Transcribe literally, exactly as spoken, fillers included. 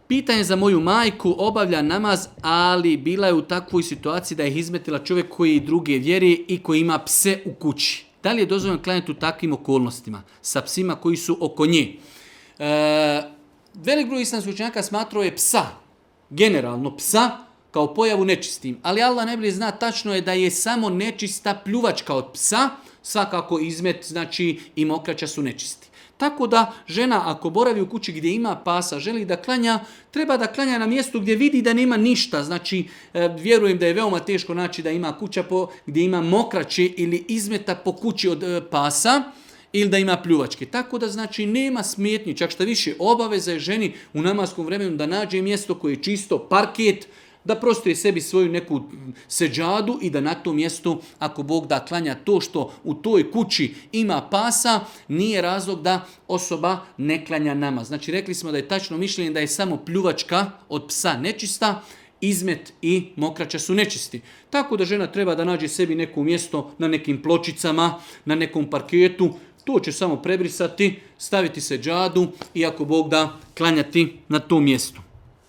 Pitanje za moju majku, obavlja namaz, ali bila je u takvoj situaciji da je izmetila čovjek koji druge vjeri i koji ima pse u kući. Da li je dozvoljeno klanjati u takvim okolnostima sa psima koji su oko nje? E, velik broj islamskih učenjaka smatrao je psa, generalno psa, kao pojavu nečistim. Ali Allah najbolje zna, tačno je da je samo nečista pljuvačka od psa, svakako izmet, znači i mokraća su nečisti. Tako da žena ako boravi u kući gdje ima pasa, želi da klanja, treba da klanja na mjestu gdje vidi da nema ništa. Znači, vjerujem da je veoma teško naći da ima kuća po, gdje ima mokraće ili izmeta po kući od pasa ili da ima pljuvačke. Tako da znači nema smetnji, čak šta više obaveza je ženi u namaskom vremenu da nađe mjesto koje je čisto, parket, da prostoje sebi svoju neku seđadu i da na tom mjestu, ako Bog da, klanja to što u toj kući ima pasa, nije razlog da osoba ne klanja namaz. Znači rekli smo da je tačno mišljenje da je samo pljuvačka od psa nečista, izmet i mokraća su nečisti. Tako da žena treba da nađe sebi neko mjesto na nekim pločicama, na nekom parketu, to će samo prebrisati, staviti seđadu i ako Bog da, klanjati na tom mjestu.